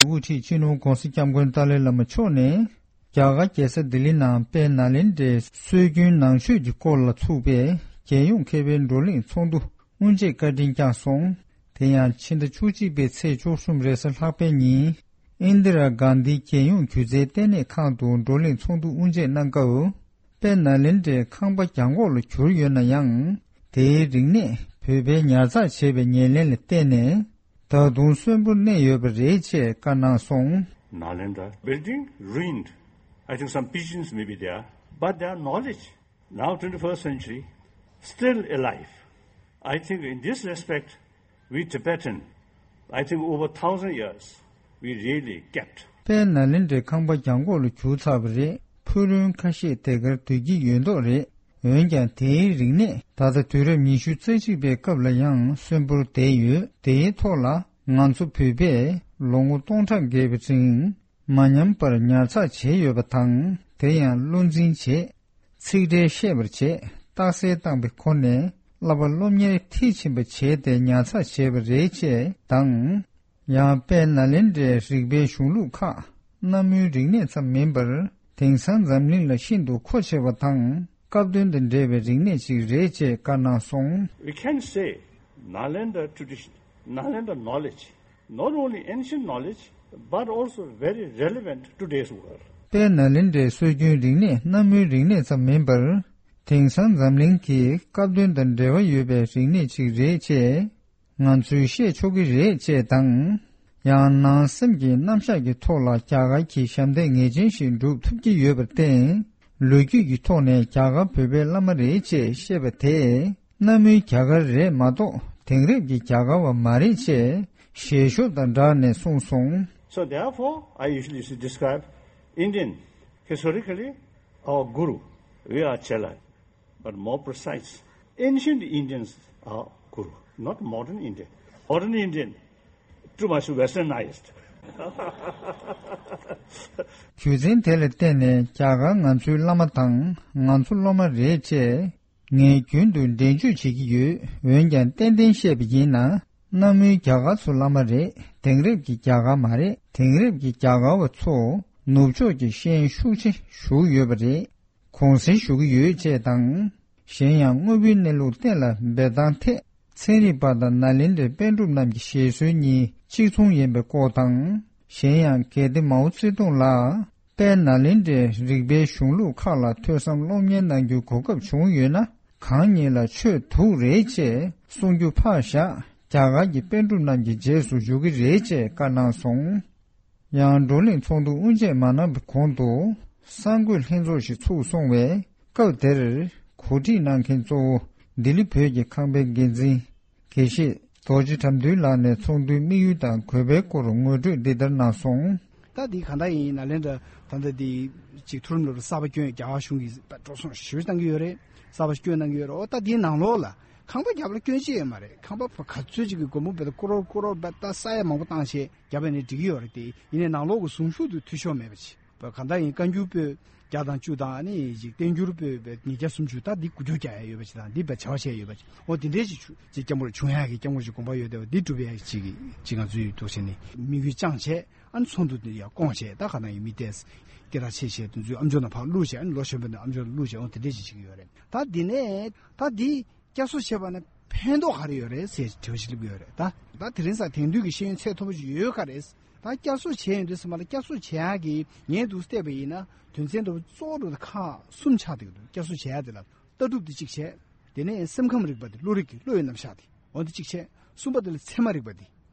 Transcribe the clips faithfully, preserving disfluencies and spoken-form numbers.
དབུ་ཁྲིད་སྤྱི་ནོར་༧གོང་ས་༧སྐྱབས་མགོན་ཏཱ་ལའི་བླ་མ་མཆོག་ནས། རྒྱ་གར་རྒྱལ་ས་ལྡི་ལི་ནང་དཔལ་ནཱ་ལེནྡྲའི་སྲོལ་རྒྱུན་ནང་ཆོས་ཀྱི་སྐོར་ལ་ཚུགས་པའི་རྒྱལ་ཡོངས་མཁས་པའི་བགྲོ་གླེང་ཚོགས་འདུ་དབུ་འབྱེད་བཀའ་དྲིན་བསྐྱངས་སོང་། དེ་ཡང་ཕྱི་ཟླ་བཅུ་གཅིག་པའི་ཚེས་བཅུ་གསུམ་རེས་གཟའ་ལྷག་པའི་ཉིན། ཨིན་དི་ར་གྷན་དྷི་རྒྱལ་ཡོངས་སྒྱུ་རྩལ་ལྟེ་གནས་ཁང་དུ་བགྲོ་གླེང་ཚོགས་འདུ་དབུ་འབྱེད་གནང་སྐབས། དཔལ་ནཱ་ལེནྡྲའི་ཁང་པ་གྱང་གོག་ལ་གྱུར་ཡོད་ན་ཡང་། དེའི་རིག་གནས་བོད་པས་ཉར་ཚགས་བྱས་པའི་ཉེར་ལེན་ལ་བརྟེན་ནས། ད་དུང་གསོན་པོར་གནས་ཡོད་པ་རེད་ཅེས་བཀའ་གནང་སོང་། Nalanda building ruined. I think some pigeons may be there, but their knowledge, now twenty-first century, still alive. I think in this respect, we Tibetan, I think over thousand years, we really kept. དཔལ་ནཱ་ལེནྡྲའི་ཁང་པ་གྱང་གོག་ལ་གྱུར་ཚར་བ་རེད། ཕུག་རོན་ཁ་ཤས་དེ་གར་སྡོད་ཀྱི་ཡོད་མདོག་རེད། འོན་ཀྱང་དེའི་རིག་གནས་ད་ལྟ་དུས་རབས་ཉི་ཤུ་རྩ་གཅིག་པའི་སྐབས་ལ་ཡང་གསོན་པོར་བསྡད་ཡོད། དེའི་ཐོག་ལ་ང་ཚོ་བོད་པས་ལོ་ངོ་སྟོང་ཕྲག་བརྒལ་བའི་རིང་མ་ཉམས་པར་ཉར་ཚགས་བྱས་ཡོད་པ་དང་། དེ་ཡང་བློ་འཛིན་བྱས། ཚིག་འགྲེལ་བཤད་པར་བྱས། རྟགས་གསལ་བཏང་པའི་སྒོ་ནས་བསླབ་པ་སློབ་གཉེར་མཐིལ་ཕྱིན་པ་བྱས་ཏེ་ཉར་ཚགས་བྱས་པ་རེད་ཅེས་དང་། ཡང་དཔལ་ནཱ་ལེནྡྲའི་རིག་པའི་གཞུང་ལུགས་ཁག་གནའ་མོའི་རིག་གནས་ཙམ་མིན་པར། དེང་སང་འཛམ་གླིང་ལ་ཤིན་ཏུ་མཁོ་ཆེ་བ་དང་། སྐབས་དོན་དང་འབྲེལ་བའི་རིག་གནས་ཅིག་རེད་ཅེས་བཀའ་གནང་སོང་། We can say Nalanda tradition, Nalanda knowledge, not only ancient knowledge, but also very relevant to today's world. དཔལ་ནཱ་ལེནྡྲའི་སྲོལ་རྒྱུན་རིག་གནས་གནའ་མོའི་རིག་གནས་ཙམ་མིན་པར། དེང་སང་འཛམ་གླིང་གི་སྐབས་དོན་དང་འབྲེལ་བ་ཡོད་པའི་རིག་གནས་ཅིག་རེད་ཅེས་ང་ཚོས་བཤད་ཆོག་གི་རེད་ཅེས་དང་། ཡང་ནང་སེམས་ཀྱི་རྣམ་གཞག་གི་ཐོག་ལ་རྒྱ་གར་གྱི་ཞབས་འདེགས་ངེས་ཅན་ཞིག་སྒྲུབ་ཐུབ་ཀྱི་ཡོད་པར་བརྟེན། ལོ་རྒྱུས་ཀྱི་ཐོག་ནས་རྒྱ་གར་བོད་པའི་བླ་མ་རེད་ཅེས་བཤད་པ་དེས། གནའ་མིའི་རྒྱ་གར་རེད་མ་གཏོགས་དེང་རབས་ཀྱི་རྒྱ་གར་བ་མ་རེད་ཅེས་ཞལ་ཤོབ་དང་སྦྲགས་ནས་གསུངས་སོང་། So therefore, I usually used to describe Indian historically our guru, Veeracharya, but more precise, ancient Indians are guru, not modern Indian. Modern Indian, too much westernized. རྒྱུ་མཚན་དེ་ལ་བརྟེན་ནས་རྒྱ་གར་ང་ཚོའི་བླ་མ་དང་ང་ཚོ་སློབ་མ་རེད་ཅེས། ངས་རྒྱུན་དུ་འགྲེལ་བརྗོད་བྱེད་ཀྱི་ཡོད། འོན་ཀྱང་ཏན་ཏན་བཤད་པ་ཡིན་ན། གནའ་མོའི་རྒྱ་གར་ཚོ་བླ་མ་རེད། དེང་རབས་ཀྱི་རྒྱ་གར་མ་རེད། དེང་རབས་ཀྱི་རྒྱ་གར་བ་ཚོ་ནུབ་ཕྱོགས་ཀྱི་ཤེས་ཡོན་ཤུགས་ཆེ་ཞུགས་ཡོད་པ་རེད། གུང་སེང་ཞུ་གི་ཡོད་ཅེས་དང་། གཞན་ཡང་དངོས་པོའི་གནས་ལུགས་གཏན་ལ་འབེབས་སྟངས་ཐད། ཚན་རིག་པ་དང་ནཱ་ལེནྡྲའི་པཎ་གྲུབ་རྣམས་ཀྱི་བཞེད་སྲོལ་གཉིས་གཅིག་མཚུངས་ཡིན་པའི་སྐོར་དང་། གཞན་ཡང་གལ་ཏེ་མའོ་ཙེ་ཏུང་ལ། དཔལ་ནཱ་ལེནྡྲའི་རིག་པའི་གཞུང་ལུགས་ཁག་ལ་ཐོས་བསམ་སློབ་གཉེར་གནང་རྒྱུའི་གོ་སྐབས་བྱུང་ཡོད་ན། གང་ཉིད་ལ་ཆོས་ཐུགས་རེ་ཆེ་གསུང་རྒྱུ་ཕར་བཞག་རྒྱ་གར་གྱི་པཎ་གྲུབ་རྣམས་ཀྱི་རྗེས་སུ་འཇུག་གི་རེད་ཅེས་བཀའ་གནང་སོང་། ཡང་བགྲོ་གླེང་ཚོགས་འདུ་དབུ་འབྱེད་མ་གནང་བའི་གོང་དུ། གསར་འགོད་ལྷན་ཚོགས་ཤིག་ཚུགས་སོང་བས། སྐབས་དེར་གོ་སྒྲིག་གནང་མཁན་གཙོ་བོ་ལྡི་ལི་བོད་ཀྱི་ཁང་པའི་འགན་འཛིན། དགེ་བཤེས་རྡོ་རྗེ་དགྲ་འདུལ་ལགས་ནས་ཚོགས་འདུའི་དམིགས་ཡུལ་དང་དགོས་པའི་སྐོར་ངོ་སྤྲོད་འདི་ལྟར་གནང་སོང་། ད་འདི་གང་ལྟར་ཡིན་ནཱ་ལེནྡྲ་ད་ལྟ་འདི་ཅིག་མཐོ་རིམ་སློབ་གྲྭ་གསར་པ་བསྐྱོན། རྒྱ་གར་གཞུང་གིས་འགྲོ་སོང་ཞེ་པོ་བཏང་གི་ཡོད་རེད། གསར་པ་བསྐྱོན་གནང་གི་ཡོད་རེད། འོ་ད་འདིའི་ནང་ལོགས་ལ་ཁང་པ་རྒྱབ་ལ་བསྐྱོན་ཅི་ཡོད་མ་རེད། ཁང་པ་ག་ཚོད་ཅིག་གི་སྒོར་མོ་བེད་ཀོ་རོར་ཀོ་རོར་བེད་ད་ས་ཡ་མང་པོ་བཏང་བྱས་རྒྱབ་ཡ་ནི་འགྲིག་གི་ཡོད་རེད་དེ། ཡིན་ནའི་ནང་ལོགས་ཀྱི་ཟུངས་ཤུགས་དེ་འཐུས་ཤོར་མེད་པ་ཅིག་བ་གང་ལྟར་ཡིན། བཀའ་འགྱུར་པོད་བརྒྱ་དང་བཅུ་དང་ཨ་ནི་ཅིག་བསྟན་འགྱུར་པོད་བརྒྱད་བརྒྱ་སུམ་ཅུ་ད་འདི་འགུལ་སྐྱོད་རྒྱག་ཡ་ཡོད་པ་ཅིག་དང་འདི་བས་བྱ་བ་བྱས་ཡོད་པ་ཅིག་འོ་དེ་འདྲའི་ཅིག་ཆུ་ཅིག་སྐྱབས་མགོན་བྱུང་ཡག་གི་སྐྱབས་མགོན་ཅིག་དགོངས་པ་ཡོད་བསྡད་པ་འདི་སྒྲུབ་ཡག་ཅིག་ཅིག་ང་ཚོའི་ཐུགས་བཞེད་ནི་དམིགས་ཡུལ་བཅངས་བྱས་ཨ་ནི་ཚོགས་འདུ་འདི་ཡར་བསྐོང་བྱས། ད་ག་ན་ཡིན་མི་ཏེས་སྐད་གྲགས་ཆེ་བྱས་དེ་ཚོའི་ཨ་མཆོག་ནང་ཕར་བླུགས་བྱས། ཨ་ནི་ལོ་གཞོན་པ་འདི་ཨ་མཆོག་ལ་བླུགས་བྱས་འོ་དེ་འདྲས་ཅིག་བྱེད་ཀྱི་ཡོད་རེད། ད་འདི་ནས་ད་འདི་བསྐྱར་གསོ་བྱས་པ་ནས་ཕན་ཐོགས་ག་རེ་ཡོད་རེད་ཟེར་དྲི་བ་ཞིག་སླེབས་ཀྱི་ཡོད་རེད། ད་ད་དེ་རིང་སང་དེང་དུས་ཀྱི་ཤེས་ཡོན་ཚད་མཐོ་པོ་ཞིག་ཡོད་ག་རེད། ད་བསྐྱར་གསོ་བྱས་ཡོང་དུས་ཙམ་པ་ལ་བསྐྱར་གསོ་བྱེད་ཡག་གི་ངས་འདུག་བལྟས་པ་ཡིན་ན་དོན་ཚན་འདྲ་བོ་གཙོ་བོ་འདྲ་བོ་ཁག་གསུམ་ཆགས་བསྡད་ཀྱི་འདུག་བསྐྱར་གསོ་བྱེད་ཡག་དེ་ལ་ལྟ་གྲུབ་དེ་གཅིག་བྱས། དེ་ནས་སེམས་ཁམས་རིག་པ་དེ་བློ་རིག་གི་བློ་ཡི་རྣམ་གཞག་དེ་འོ་དེ་གཅིག་བྱས། གསུམ་པ་དེ་ལ་ཚད་མ་རིག་པ་དེ།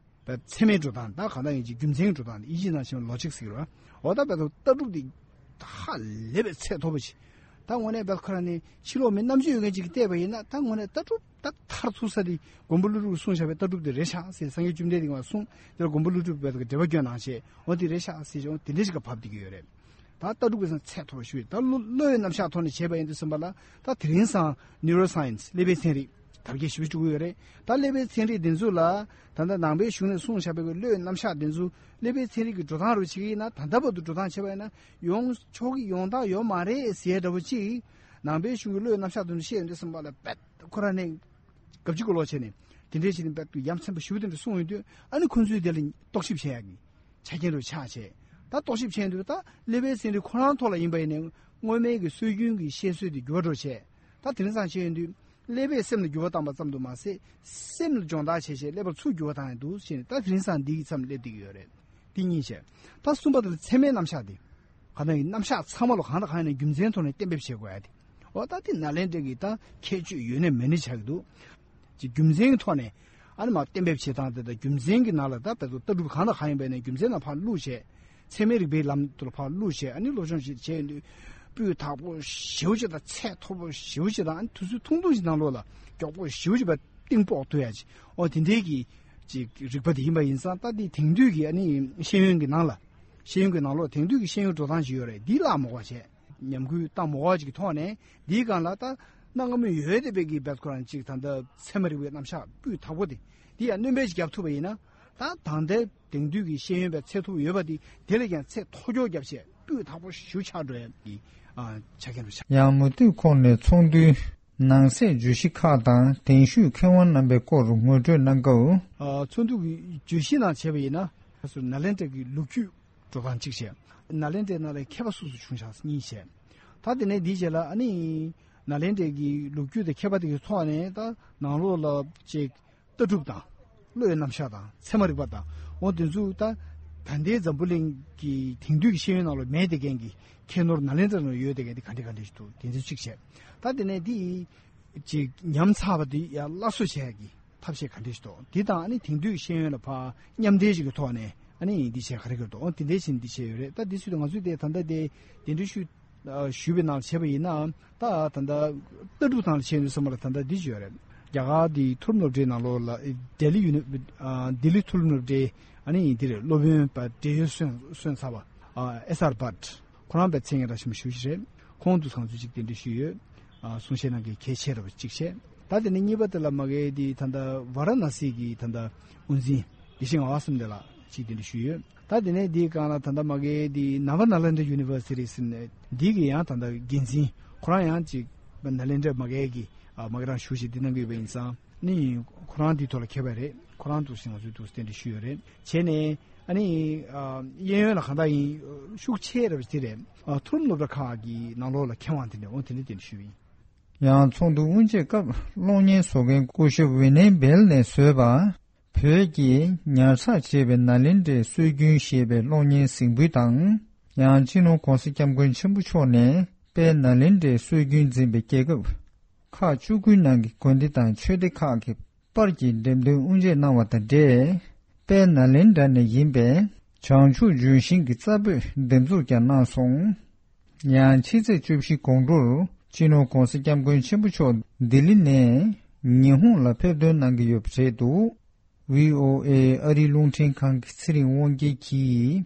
ད་ཚད་མའི་འགྲོ་སྟངས་ད་གང་ལྟར་ཡིན་གཅིག་རྒྱུ་མཚན་གྱི་འགྲོ་སྟངས་དེ་དབྱིན་ཇིའི་ནང་བཞིན་ལོ་ཇིག་ཟེར་གྱི་རེད་བ། འོ་ད་བས་ད་ལྟ་གྲུབ་དེ་ཧ་ལས་པའི་ཚད་མཐོ་པོ་ཞིག་ད་དངོས་གནས་བས་ཁོ་རང་ནི་ཕྱི་ལོགས་མི་རྣམ་དཔྱོད་ཡོད་མཁན་ཅིག་གིས་བལྟས་པ་ཡིན་ན་ད་དངོས་གནས་ལྟ་གྲུབ་ད་མཐར་ཐུག་ས་དེ་མགོན་པོ་ཀླུ་སྒྲུབ་ཀྱིས་གསུངས་བཞག་པའི་ལྟ་གྲུབ་དེ་རེད་ཤག་ཟེར། སངས་རྒྱས་བཅོམ་ལྡན་འདས་ཀྱིས་གསུངས་དེ་ལ་མགོན་པོ་ཀླུ་སྒྲུབ་བས་འགྲེལ་པ་བསྐྱོན་གནང་བྱས་འོ་དེ་རེད་ཤག་ཟེར་བྱས་འོ་དེ་འདྲ་ཞིག་ག་བབས་བསྡད་ཀྱི་ཡོད་རེད། ད་ལྟ་གྲུབ་ཀྱི་ཚད་མཐོ་བ་ཞུ་ཡོད། ད་བློ་བློ་ཡི་རྣམ་གཞག་ཐོག་ནས་བྱས་པ་ཡིན་དུས་ཙམ་པ་ལ་ད་དེ་རིང་སང་ནིའུ་རོ་སའེན་སི་ཀླད་པའི་ཚན་རིག་དར་རྒྱས་ཞེ་པོ་ཅིག་འགྲོ་གི་ཡོད་རེད། ད་ཀླད་པའི་ཚན་རིག་འདི་ཚོ་ལ་ད་ལྟ་ནང་པའི་གཞུང་ནས་གསུངས་བཞག་པའི་བློ་ཡི་རྣམ་གཞག་འདི་ཚོ་ཀླད་པའི་ཚན་རིག་གི་འགྲོ་སྟངས་རུ་བྱེད་ཀྱི་ཡིན་ན་ད་ལྟ་བར་དུ་འགྲོ་སྟངས་བྱས་པ་ཡིན་ན་ཡོང་ཆོག་གི་ཡོང་སྟངས་ཡོད་མ་རེད་ཟེར་འདྲ་བོ་ཅིག་ནང་པའི་གཞུང་གི་བློ་ཡི་རྣམ་གཞག་འདི་ཚོ་བཤད་ཡོང་དུས་ཙམ་པ་ལ་རྦད་ཁོ་རང་ནས་གབ་ཅིག་གི་ལོག་བྱས་ནས་དེ་འདྲའི་ཞིག་ནས་རྦད་དུ་ཡ་མཚན་པ་ཞེ་པོ་དེ་འདྲ་གསུངས་ཡོང་དུས་ཨ་ནི་ཁོ་ཚོས་དེ་ལ་རྟོག་ཞིབ་བྱེད་ཡག་གི་ཆ་རྐྱེན་རུ་ཆགས་བྱས། ད་རྟོག་ཞིབ་བྱས་དུས་ད་ཀླད་པའི་སེམས་རིག་ཁོ་རང་ཐོག་ལ་ཡིན་པ་ཡིན་ནའི་སྔོན་མའི་གི་སྲོལ་རྒྱུན་གྱི་བཤད་སྲོལ་དེ་འགྱུར་བ་འགྲོ་བྱས། ད་དེང་སང་བྱས་ཡོང་དུས་ཀླད་པས་སེམས་ལ་འགྱུར་བ་བཏང་པ་ཙམ་དུ་མ་ཟད་སེམས་ལ་སྦྱོང་བརྡར་བྱས་བྱས་ཀླད་པར་ཚུར་འགྱུར་བ་བཏང་ཡང་འདུག་ཟེར་ནས། ད་དེང་སང་འདི་གི་མཚམས་སླེབས་བསྡད་ཀྱི་ཡོད་རེད། འདི་གཉིས་བྱས། ད་གསུམ་པ་དེ་ལ་ཚད་མའི་རྣམ་གཞག་དེ། གང་ལྟར་གྱི་རྣམ་གཞག་ཚང་མ་ལ་གང་དང་གང་ཡིན་ན་རྒྱུ་མཚན་ཐོག་ནས་གཏན་འབེབས་བྱེད་དགོས་ཡ་དེ། འོ་ད་དེ་ནཱ་ལེནྡྲ་གི་ད་ཁྱད་ཆོས་ཡོད་ནའི་མེད་ནའི་ཆགས་ཀྱི་འདུག་ཅིག་རྒྱུ་མཚན་གྱི་ཐོག་ནས་ཨ་ནི་མར་གཏན་འབེབས་བྱེད་སྟངས་དེ་དང་རྒྱུ་མཚན་གྱི་ནང་ལ་ད་བལ་ཚོ་ལྟ་གྲུབ་གང་དང་གང་ཡིན་པ་ཡིན་ནའི་རྒྱུ་མཚན་ལ་ཕར་བླུགས་བྱས། ཚད་མའི་རིག་པའི་ལམ་དུ་ལ་ཕར་བླུགས་བྱས། ཨ་ནི་སློབ་སྦྱོང་ཞིག་བྱས་ཡོང་དུས་སྤུས་དག་པོ་ཞེ་པོ་ཅིག་དང་ཚད་མཐོ་པོ་ཞེ་པོ་ཅིག་དང་། ཨ་ནི་དུས་ཚོད་ཐུང་ཐུང་ཞིག་ནང་ལོགས་ལ་མགྱོགས་པོ་ཞེ་པོ་ཅིག་པ་གཏིང་དཔོག་ཐུབ་ཡ་ཅིག་འོ་དེ་འདྲའི་གི་ཅིག་རིག་པ་དེ་ཡིན་པ་ཡིན་ཙང་། ད་དེ་དེང་དུས་ཀྱི་ཨ་ནི་ཤེས་ཡོན་གྱི་ནང་ལ། ཤེས་ཡོན་གྱི་ནང་ལོགས་དེང་དུས་ཀྱི་ཤེས་ཡོན་འགྲོ་སྟངས་ཤིག་ཡོད་རེད། འདི་བརླག་མ་དགོས་པ་བྱས། ཉམས་རྒུད་བཏང་མ་དགོས་པ་ཅིག་གི་ཐོག་ནས། འདིའི་སྒང་ལ་ད་གནའ་སྔ་མོ་ཡོད་བསྡད་པའི་གི་བལ་ཁོ་རང་ཅིག་ད་ལྟ་ཚད་མ་རིག་པའི་རྣམ་གཞག་སྤུས་དག་པོ་དེ། འདི་ཡང་སྣོན་པ་ཞིག་བརྒྱབ་ཐུབ་པ་ཡིན་ན། ད་ད་ལྟའི་དེང་དུས་ཀྱི་ཤེས་ཡོན་པའི་ཚད་མཐོ་པོ་ཡོད་པ་དེ་དེ་ལས་ཀྱང་ཚད་མཐོ་སྐྱོར་བརྒྱབ་བྱས་སྤུས་དག་པོ་ཞིག་ཆགས་འགྲོ་ཡ་གི་ཨ་ཆ་རྐྱེན་རུ་ཆགས། ཡང་མུ་མཐུད་ཁོང་ནས་ཚོགས་འདུའི་ནང་གསེས་བརྗོད་གཞི་ཁག་དང་གདན་ཞུས་མཁས་དབང་རྣམ་པའི་སྐོར་ངོ་སྤྲོད་གནང་སྐབས། ཨ་ཚོགས་འདུ་གི་བརྗོད་གཞི་ནང་བྱས་པ་ཡིན་ན། ཁ་སང་ནཱ་ལེནྡྲ་གི་ལོ་རྒྱུས་འགྲོ་སྟངས་གཅིག་བྱས། ནཱ་ལེནྡྲའི་ནང་ལ་མཁས་པ་སུ་སུ་བྱུང་བཞག་གཉིས་བྱས། ད་དེ་ནས་འདིའི་རྗེས་ལ་ཨ་ནི་ནཱ་ལེནྡྲའི་གི་ལོ་རྒྱུས་དང་མཁས་པ་དེ་གི་ཐོག་ནས་ད་ནང་ལོགས་ལ་ཅིག་ལྟ་གྲུབ་དང་བློའི་རྣམ་གཞག་དང་ཚད་མ་རིག་པ་དང་། འོ་དེ་ཚོ་ད་ད་ལྟའི་འཛམ་བུ་གླིང་གི་དེང་དུས་ཀྱི་ཤེས་ཡོན་ནང་ལ་མེད་བསྡད་མཁན་གྱི་ཁྱད་ནོར་ནཱ་ལེནྡྲ་ནང་ཡོད་བསྡད་མཁན་དེ་ག་འདྲ་ག་འདྲ་ཞིག་འདུག་དེ་ཚོ་གཅིག་བྱས། ད་དེ་ནས་འདི་ཅིག་ཉམས་ཚར་བ་དེ་ཡང་སླར་གསོ་བྱེད་ཡག་གི་ཐབས་ཤེས་ག་འདྲ་ཞིག་འདུག་འདི་དང་ཨ་ནི་དེང་དུས་ཤེས་ཡོན་ལ་ཕར་མཉམ་འདྲེས་ཤིག་གི་ཐོག་ནས་ཨ་ནི་འདི་བྱས་ག་རེ་ག་རེ་འདུག་འོ་དེ་འདྲ་བྱས་ནས་འདི་བྱས་ཡོད་རེད། ད་འདི་ཚོ་དེ་ང་ཚོས་དེ་ད་ལྟ་དེ་གདན་འདྲེན་ཞུས་ཨ་ཞུས་པའི་ནང་བྱས་པ་ཡིན་ན། ད་ད་ལྟ་ལྟ་གྲུབ་སྟངས་ལ་བྱས་ཡོང་དུས་ཙམ་པ་ལ་ད་ལྟ་འདི་བྱས་ཡོད་རེད། རྒྱ་གར་འདི་མཐོ་རིམ་སློབ་གྲྭའི་ནང་ལོགས་ལ་ལྡི་ལི་ཡུ་ནི་ཨ་ལྡི་ལི་མཐོ་རིམ་སློབ་གྲྭའི་ཨ་ནི་འདི་རེད། སློབ་དཔོན་པ་བགྲེས་ཡོལ་སོན་སོན་ཚར་བ་ཨ་ཨེས་ཨར་བྷཊ། ཁོ་རང་པའི་མཚན་སྙན་གྲགས་ཆེན་པོ་ཞེ་པོ་ཅིག་རེད། ཁོང་དུ་ཚང་ཚུལ་ཅིག་གདན་འདྲེན་ཞུས་ཡོད། ཨ་གསུང་བཤད་གནང་མཁན་གལ་ཆེ་རུ་ཅིག་བྱས། ད་དེ་ནས་གཉིས་པ་དེ་ལ་མ་གི་དེ་ད་ལྟ་ཝཱ་ར་ཎ་སི་གི་ད་ལྟ་དབུ་འཛིན་དགེ་བཤེས་ངག་དབང་བསམ་གཏན་ལགས་ཅིག་གདན་འདྲེན་ཞུས་ཡོད། ད་དེ་ནས་དེའི་སྒང་ལ་ད་ལྟ་མ་གི་དེ་Nava Nalanda University ཟེར་ནས་འདི་གི་ཡང་ད་ལྟ་འགན་འཛིན་ཁོ་རང་ཡང་ཅིག་ནཱ་ལེནྡྲ་མ་གི་གི་ཨ་མ་གི་རང་ཞུ་ཞིག་འདི་གནང་གི་ཡོད་པ་ཡིན་ཙང་། ནི་ཁོ་རང་འདི་ཐོག་ལ་མཁས་པ་རེད། ཁོ་རང་འདུག་སེ་ང་ཚོའི་འདུག་སེ་གདན་འདྲེན་ཞུས་ཡོད་རེད། བྱས་ནས་ཨ་ནི་ཨ་གཡས་གཡོན་ལ་གང་ལྟར་ཡིན་ཤུགས་ཆེ་རེད་པ་དེ་རེད། ཨ་མཐོ་རིམ་སློབ་གྲྭ་ཁག་གི་ནང་ལོགས་ལ་མཁས་དབང་དེ་འདྲ་འོང་དེ་འདྲ་གདན་འདྲེན་ཞུས་ཡིན། ཡང་ཚོགས་འདུ་དབུ་འབྱེད་སྐབས་གློག་བརྙན་བཟོ་མཁན་སྐུ་ཞབས་ཝི་ནེ་སྦེལ་ནས་བཟོས་པ། བོད་ཀྱིས་ཉར་ཚགས་བྱས་པའི་ནཱ་ལེནྡྲའི་སྲོལ་རྒྱུན་ཞེས་པའི་གློག་བརྙན་གཟིགས་འབུལ་དང་། ཡང་སྤྱི་ནོར་༸གོང་ས་༸སྐྱབས་མགོན་ཆེན་པོ་མཆོག་ནས་དཔལ་ནཱ་ལེནྡྲའི་སྲོལ་རྒྱུན་འཛིན་པའི་རྒྱལ་ཁབ་ཁག་བཅུ་དགུའི་ནང་གི་དགོན་སྡེ་དང་ཆོས་སྡེ་ཁག་གི་པར་གྱི་འགྲེམས་སྟོན་དབུ་འབྱེད་གནང་བ་དང་འབྲེལ། དཔལ་ནཱ་ལེནྡྲ་ནས་ཡིན་པའི་བྱང་ཆུབ་ལྗོན་ཤིང་གི་རྩ་སྤོས་འདེབས་འཛུགས་ཀྱང་གནང་སོང་། ཡང་ཕྱི་ཚེས་བཅུ་བཞི་དགོང་དྲོར་སྤྱི་ནོར་༸གོང་ས་༸སྐྱབས་མགོན་ཆེན་པོ་མཆོག་ལྡི་ལི་ནས་ཉི་ཧོང་ལ་ཕེབས་ཐོན་གནང་གི་ཡོད་པ་རེད་འདུག་ཝི་ཨོ་ཨེ་ཨ་རིའི་རླུང་འཕྲིན་ཁང་གི་ཚེ་རིང་དབང་རྒྱལ་གྱིས་